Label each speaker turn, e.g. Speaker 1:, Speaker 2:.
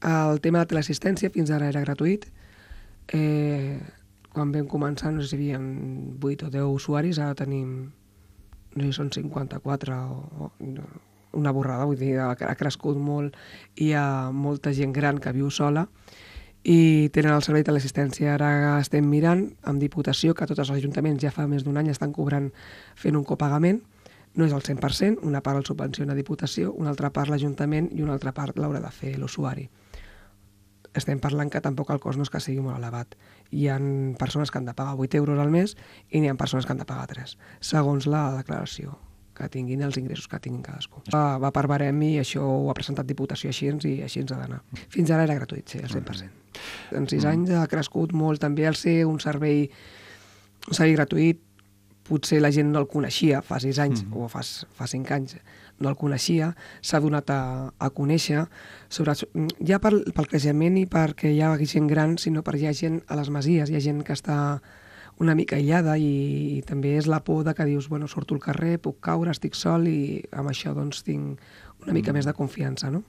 Speaker 1: El tema de teleassistència fins ara era gratuït. Quan vam començar, no sé si hi havia 8 o 10 usuaris, ara tenim, no sé si són 54 o una borrada, vull dir, ha crescut molt, hi ha molta gent gran que viu sola i tenen el servei de l'assistència. Ara estem mirant amb Diputació, que tots els ajuntaments ja fa més d'un any estan cobrant fent un copagament. No és el 100%, una part el subvenciona Diputació, una altra part l'Ajuntament i una altra part l'haurà de fer l'usuari. Estem parlant que tampoc el cost no és que sigui molt elevat. Hi ha persones que han de pagar 8 euros al mes i n'hi ha persones que han de pagar 3, segons la declaració que tinguin, els ingressos que tinguin cadascú. Va per barem i això ho ha presentat Diputació així i així ens ha d'anar. Fins ara era gratuït, sí, al 100%. En 6 anys ha crescut molt també el ser un servei gratuït. Potser la gent no el coneixia fa 6 anys o fa 5 anys, no el coneixia, s'ha donat a conèixer, ja pel creixement i perquè hi ha gent gran, sinó perquè hi ha gent a les masies, hi ha gent que està una mica aïllada i també és la por de que dius, bueno, surto al carrer, puc caure, estic sol i amb això doncs tinc una mica més de confiança, no?